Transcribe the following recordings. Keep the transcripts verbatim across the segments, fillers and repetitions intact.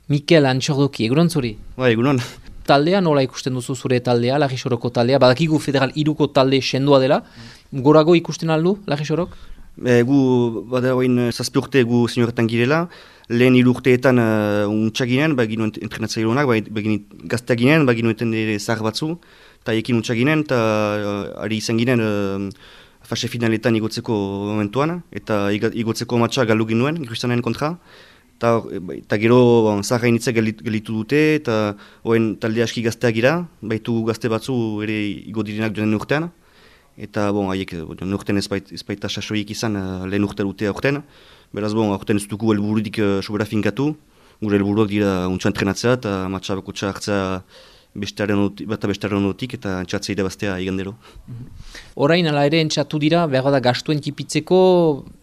Mikel Antxordoki, egunon zuri? Ba, egunon. Taldea nola ikusten duzu zure taldea, Lagisoroko taldea? Badakigu Federal iruko talde sendoa dela. Gorago ikusten aldu, Lagisorok? E, gu, bada hoin zazpi urte gu senioretan girela. Lehen hiru urteetan uh, untsa ginen, ba ginen entrenatzaileak honak, ba ginen gaztea ginen, ba ginen ere zahar batzu. Eta ekin untsa ginen, eta uh, ari izan ginen uh, fase finaletan igotzeko momentuan. Eta igotzeko matxa galdu ginuen, Kristianen kontra. Eta gero bon, zaharra initzak gelitu dute, eta hoen talde aski gazteak gira, baitu gazte batzu ere igo direnak joan urtean. Eta bon, haiek urtean ez baita sasoiek izan uh, lehen urte dute aurten. Beraz, bon, aurten ez dugu helburudik uh, sobera finkatu. Gure helburuak dira untsa entrenatzea eta matxa bakotxa hartzea bata bestaren onotik eta entxatzea irabaztea igandero. Orain ala ere entxatu dira, behar da gastuen kipitzeko,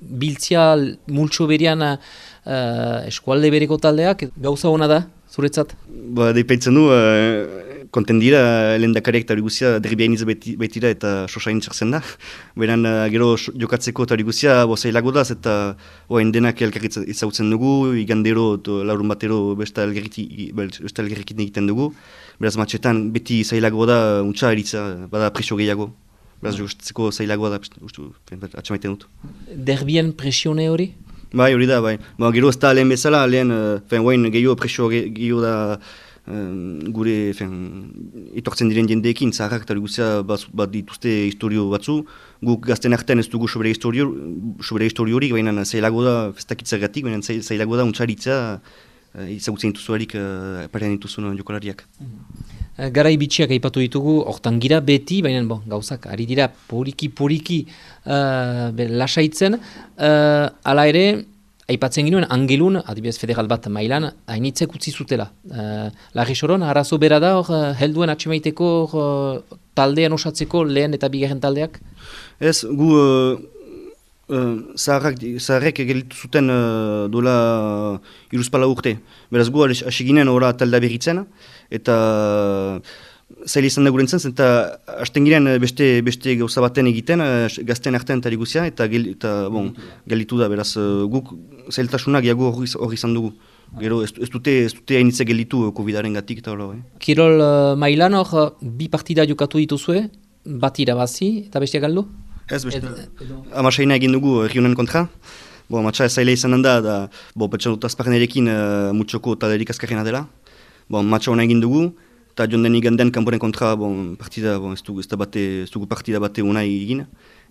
biltzia multxo berian uh, eskualde bereko taldeak, gauza hona da, zuretzat? Ba, deipatzen du, uh, konten dira, lehen dakariak eta hori guzia derribia iniz baitira eta sosain txartzen da. Beran, uh, gero jokatzeko eta hori guzia zailago da, eta oain denak elkarrit ezagutzen dugu, igandero, laurun batero besta elgarrikin egiten dugu. Beraz, matxetan beti zailago da, untsa eritza, bada presio gehiago. Beraz, jokatzeko zailago da, atxamaiten dut. Derbien presione hori? Bai, hori da, bai. Ba, gero ez da lehen bezala, lehen, fen, oain gehiago presio gehiago da, Um, gure fen, etortzen diren jendeekin, zaharrak eta guztia bat dituzte historio batzu. Guk gazten artean ez dugu sobera historio horik, baina zailago da, festakitzagatik, baina zailago da untxaritza uh, izagutzen dituzuarik uh, parean dituzun jokalariak. Mm-hmm. Garai bitxiak aipatu ditugu, hortan gira beti, baina bon, gauzak, ari dira poriki-poriki uh, lasaitzen, uh, ala ere, aipatzen ginuen, Angelun, adibidez federal bat mailan, hainitzek utzi zutela. Uh, Lagisoron, arazo bera da, hor, helduen atxemaiteko uh, taldean osatzeko lehen eta bigarren taldeak? Ez, gu uh, uh, zaharrek egelitu zuten uh, dola uh, iruzpala urte. Beraz gu hasi ginen ora taldea berritzen, eta zaila izan da gurentzen, eta hasten giren beste, beste gauza baten egiten, gazten artean eta guzia, eta, gel, eta bon, gelitu da, beraz, guk zailtasunak jago hori izan dugu. Gero ez, ez dute, ez dute hainitze gelitu COVID-aren gatik eta hola. Eh? Kirol uh, mailan hor, bi partida jokatu dituzue, bat irabazi eta bestia galdu? Ez, beste, amasaina egin dugu Rionen kontra. Bo, matxa zaila izan da, da bo, petxan dut azparnerekin uh, mutxoko talerik azkarrena dela. Bo, matxa hona egin dugu. Eta joan den iganden kanporen kontra bon, partida, bon, ez dugu ez dugu partida bate unai egin.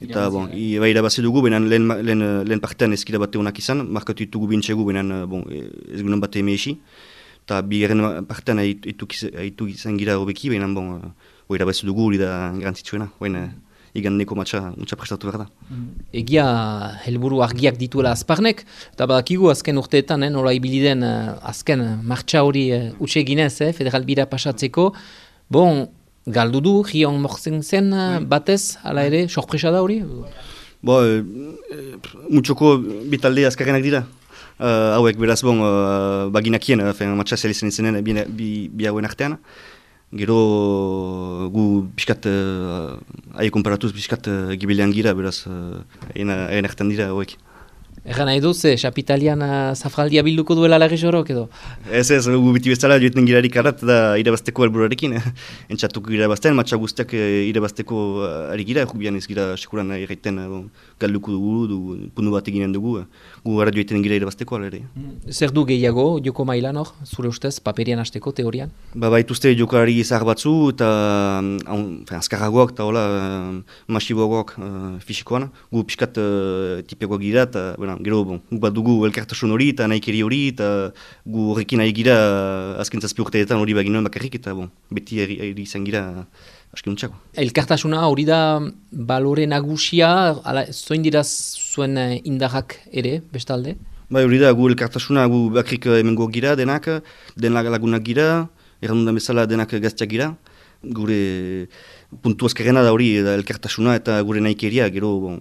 Eta bon, bai irabazi dugu, benen lehen, lehen, lehen partean ezkira bate unak izan, markatu ditugu bintxegu, benen bon, ez gunen bate emeishi. Eta bigarren partean haitu izan gira hobeki, benen bon, irabazi dugu hori da garantzitsuena. Igandeko matxa untsa prestatu behar da. Egia helburu argiak dituela azparnek, eta badakigu azken urteetan, eh, nola ibiliden uh, azken martxa hori uh, utxe ginez, eh, federal bira pasatzeko. Bon, galdu du, Rion morzen zen uh, batez, ala ere, sorpresa da hori? Bo, e, mutxoko bitalde azkarrenak dira. Uh, hauek beraz, bon, uh, baginakien, uh, matxa zelizen izenen bi, bi, bi hauen artean. Gero gu piskat, uh, aie komparatuz piskat uh, gibilean gira, beraz, uh, egin ertan dira hauek. Egan nahi duz, eh, Xapitalian uh, zafraldia bilduko duela Lagisorok edo? Ez ez, gu biti bezala joetan girarik arrat da irabazteko helburuarekin. Entxatuko irabazten, matxa guztiak irabazteko ari gira, jubian ez gira sekuran erraiten bon, galduko dugu, du, pundu bat eginen dugu, gu gara joetan gira irabazteko alere. Zer du gehiago, joko mailan hor, zure ustez, paperian hasteko, teorian? Ba, baituzte jokalari zahar batzu, eta um, azkarragoak, eta hola, um, masiboagoak uh, fisikoan, gu piskat uh, tipeagoak gira, eta gero, bon, gu bat dugu elkartasun hori eta nahikeri hori eta gu horrekin nahi gira azken zazpi urteetan hori baginoen bakarrik eta bon, beti eri izan gira asken untxako. Elkartasuna hori da balore nagusia, ala, zoin dira zuen indarrak ere, bestalde? Bai, hori da, gu elkartasuna gu bakrik emengo gira denak, den lagunak gira, errandudan bezala denak gaztiak gira. Gure puntu azkarrena da hori da elkartasuna eta gure nahikeria, gero, bon,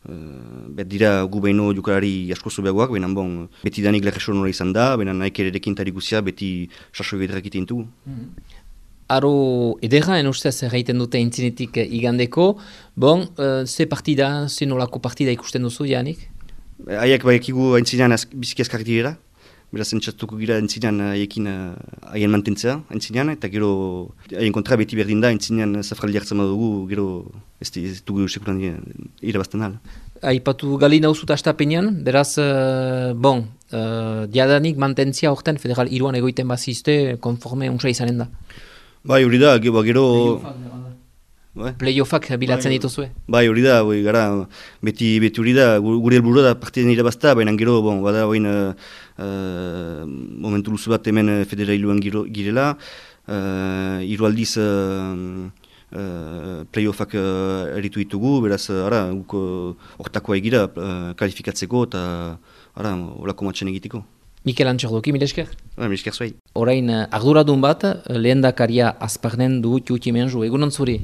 Uh, bet dira gu behin jokalari asko zubeagoak, baina bon, beti danik leheson hori izan da, baina naik ere dekin tarikuzia beti sasoi bedrak iten dugu. Mm. Aro edera, en ustez erraiten dute intzinetik igandeko, bon, uh, ze partida, ze nolako partida ikusten duzu, Janik? Haiek baikigu intzinean biziki azkarrik dira, beraz entzatuko gira entzinean haiekin haien mantentzea, entzinean, eta gero haien kontra beti berdin da, entzinean zafraldi hartzen badugu, gero ez dugu sekuran irabazten ahal. Aipatu gali nauzut astapenean, beraz, uh, bon, uh, diadanik mantentzia horten federal iruan egoiten bazizte, konforme untsa izanen da. Bai, hori da, gero... gero... Playoffak bilatzen bai, dituzue? Bai, hori da, bai, gara, beti, beti hori da, gure helburua da partiden irabazta, baina gero, bon, bada, oin, uh, uh, momentu luzu bat hemen federailuan girela, uh, hiru aldiz uh, uh, playoffak uh, eritu ditugu, beraz, ara, guk hortakoa egira uh, kalifikatzeko eta, ara, olako matxan egiteko. Mikel Antxordoki, mil esker? Ba, mil esker zuai. Orain, arduradun bat, lehendakaria Azparnen du Tiutimenzu, egunon zuri?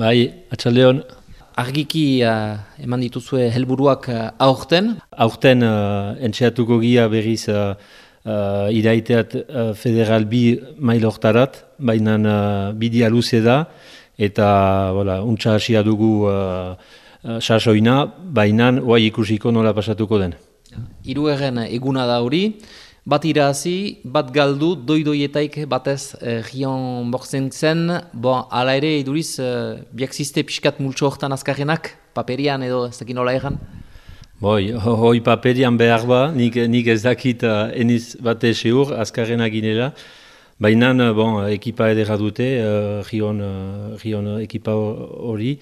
Bai, atxaldeon. Argiki uh, eman dituzue helburuak uh, aurten? Aurten uh, entxeatuko gia berriz uh, uh, iraiteat uh, federal bi mailortarat, baina uh, bidia luze da, eta voilà, untxa hasia dugu uh, uh, sasoina, baina oai ikusiko nola pasatuko den. Hirugarren eguna da hori, bat irazi, bat galdu, doidoietaik batez eh, Rion bortzen zen, bon, ala ere iduriz, eh, biak ziste pixkat multxo hortan azkarrenak, paperian edo ez dakit nola egan? Boi, hoi paperian behar ba, nik, nik ez dakit uh, eniz bate seur, azkarrenak ginela, baina bon, ekipa edera dute, uh, Rion, uh, Rion ekipa hori,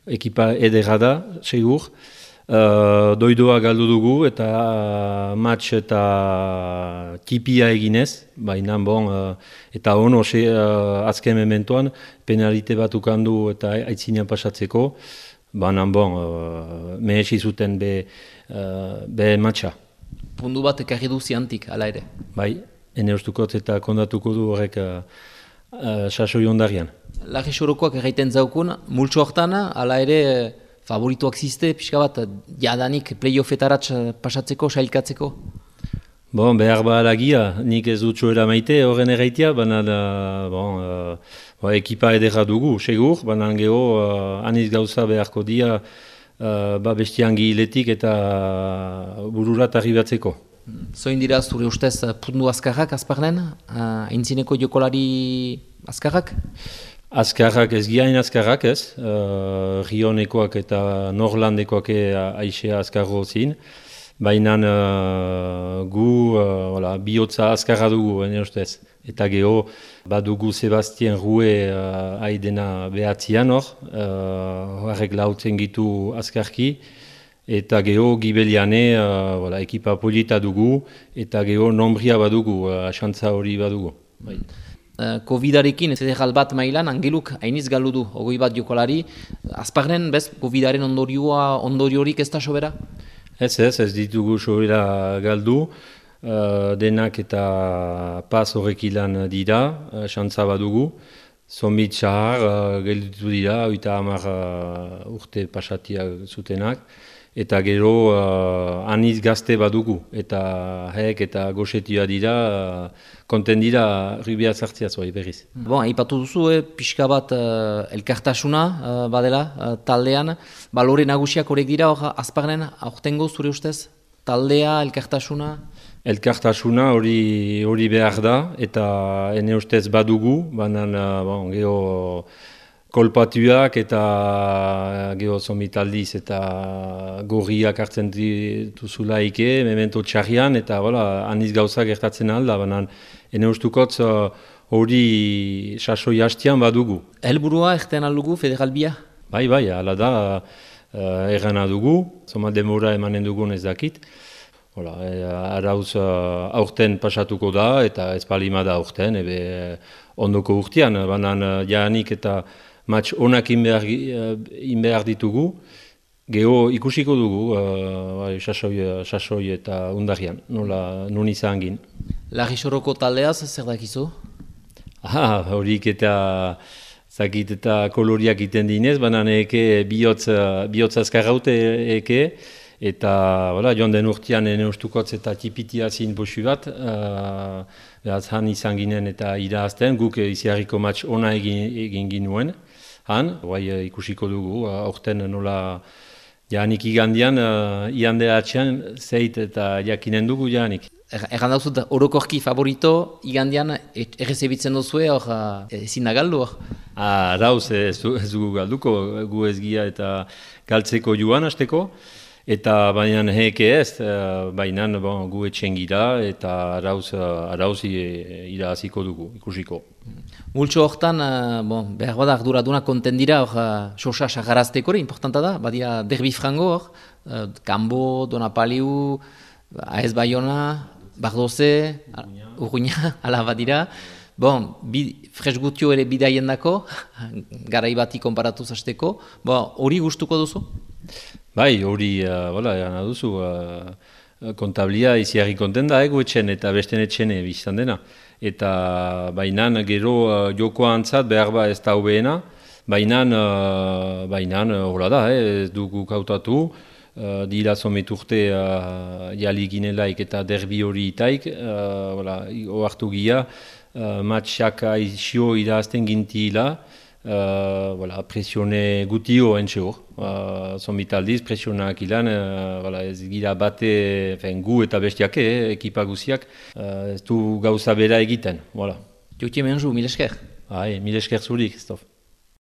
ekipa edera da, segur. Uh, doidoa galdu dugu eta uh, match eta tipia eginez, baina bon, uh, eta ono uh, azken mementoan penalite bat ukandu eta aitzinean pasatzeko, baina bon, uh, mehesi zuten be, uh, be matcha. Pundu bat ekarri du ziantik, ala ere? Bai, ene ustukot eta kondatuko du horrek uh, uh, sasoi ondarian. Larri sorokoak erraiten zaukun, multxo hortan, ala ere favorituak ziste, pixka bat, jadanik playoffetaratz pasatzeko, sailkatzeko? Bon, behar ba alagia, nik ez dut txoera maite horren erraitea, baina bon, uh, ekipa edera dugu, segur, baina geho uh, aniz gauza beharko dia uh, ba bestian gihiletik eta bururat arribatzeko. Zoin dira zure ustez pundu azkarrak Azparnen, uh, aintzineko jokolari azkarrak? Azkarrak ez giain azkarrak ez, uh, Rionekoak eta Norlandekoak aixea azkarro zin, baina uh, gu uh, bihotza azkarra dugu, ene ustez. Eta geho, badugu Sebastien Rue uh, aidena behatzian hor, uh, horrek lautzen gitu azkarki, eta geho Gibeliane uh, voilà, ekipa polita dugu, eta geho nombria badugu, uh, asantza hori badugu. Bai. Covidarekin federal bat mailan angeluk hainiz galdu du, ogoi bat jokolari. Azparnen, bez, Covidaren ondorioa, ondoriorik ez da sobera? Ez ez, ez ditugu sobera galdu, uh, denak eta pas horrek ilan dira, uh, xantza badugu. Zombit xahar uh, gelditu dira, oita hamar uh, urte pasatiak zutenak. Eta gero uh, aniz gazte badugu, eta hek eta goxetia dira, uh, konten dira ribia zartzia zoi berriz. Bon, aipatu duzu, eh, pixka bat uh, elkartasuna uh, badela uh, taldean, balore nagusiak horrek dira, hor Azparnen, aurtengo zure ustez, taldea, elkartasuna? Elkartasuna hori hori behar da, eta ene ustez badugu, banan uh, bon, geho kolpatuak eta geho zomitaldiz eta gorriak hartzen dituzulaike, memento txarrian, eta voilà, aniz gauzak gertatzen alda, banan ene ustukotz hori uh, sasoi hastian badugu. Helburua erten aldugu federal bia? Bai, bai, ala da, uh, errana dugu, zoma demora emanen dugun ez dakit. Hola, e, arauz uh, aurten pasatuko da, eta ez palima da aurten, ebe ondoko urtean, banan uh, jaanik eta match onak inbehar, inbehar ditugu, geho ikusiko dugu, uh, sasoi, sasoi eta undarian, nola nun izan gin. Larri soroko taldeaz, zer dakizu? Ah, horik eta zakit eta koloriak iten dinez, banan eke bihotz, bihotz azkarraute eke, eta voilà, joan den urtean ene ustukotz eta tipitia zin bosu bat, uh, behaz han izan ginen eta irazten, guk iziarriko match ona egin, egin ginuen. Han, guai ikusiko dugu, aurten nola janik igandian, uh, iande atxean, zeit eta jakinen dugu janik. Erran dauzut, orokorki favorito, igandian errezebitzen duzue, hor ezin da galdu hor. Ah, rauz, ez dugu galduko, gu ez gira eta galtzeko joan hasteko, eta baina heke ez, baina bon, gu etxen gira eta rauz, rauz irahaziko dugu, ikusiko. Multxo hortan, bon, behar bada arduraduna konten dira, hor, sosa sagarazteko hori, importanta da, badia derbi frango hor, Kambo, Donapaliu, Aez Bayona, Bardoze, Urruña, ala badira. Bon, fresgutio ere bidaien dako, garai bati konparatu zazteko. Bon, hori gustuko duzu? Bai, hori, hola, uh, gana duzu. Uh, kontablia iziarri konten da, ego etxen eta besten etxene biztan dena. Eta bainan gero uh, jokoa antzat behar ba ez da hobeena, bainan, uh, bainan, hola da, eh, ez dugu kautatu. Uh, dira zometurte uh, jali ginelaik eta derbi hori itaik, uh, voilà, oartu gira, uh, matxak aizio irazten gintila, uh, voilà, presione gutio entxe hor. Uh, Zomitaldiz presionak ilan, uh, voilà, ez gira bate, fen, gu eta bestiake, eh, ekipa guziak, uh, ez du gauza bera egiten. Voilà. Jotie menzu, mil esker. Hai, mil esker zuri, Christophe.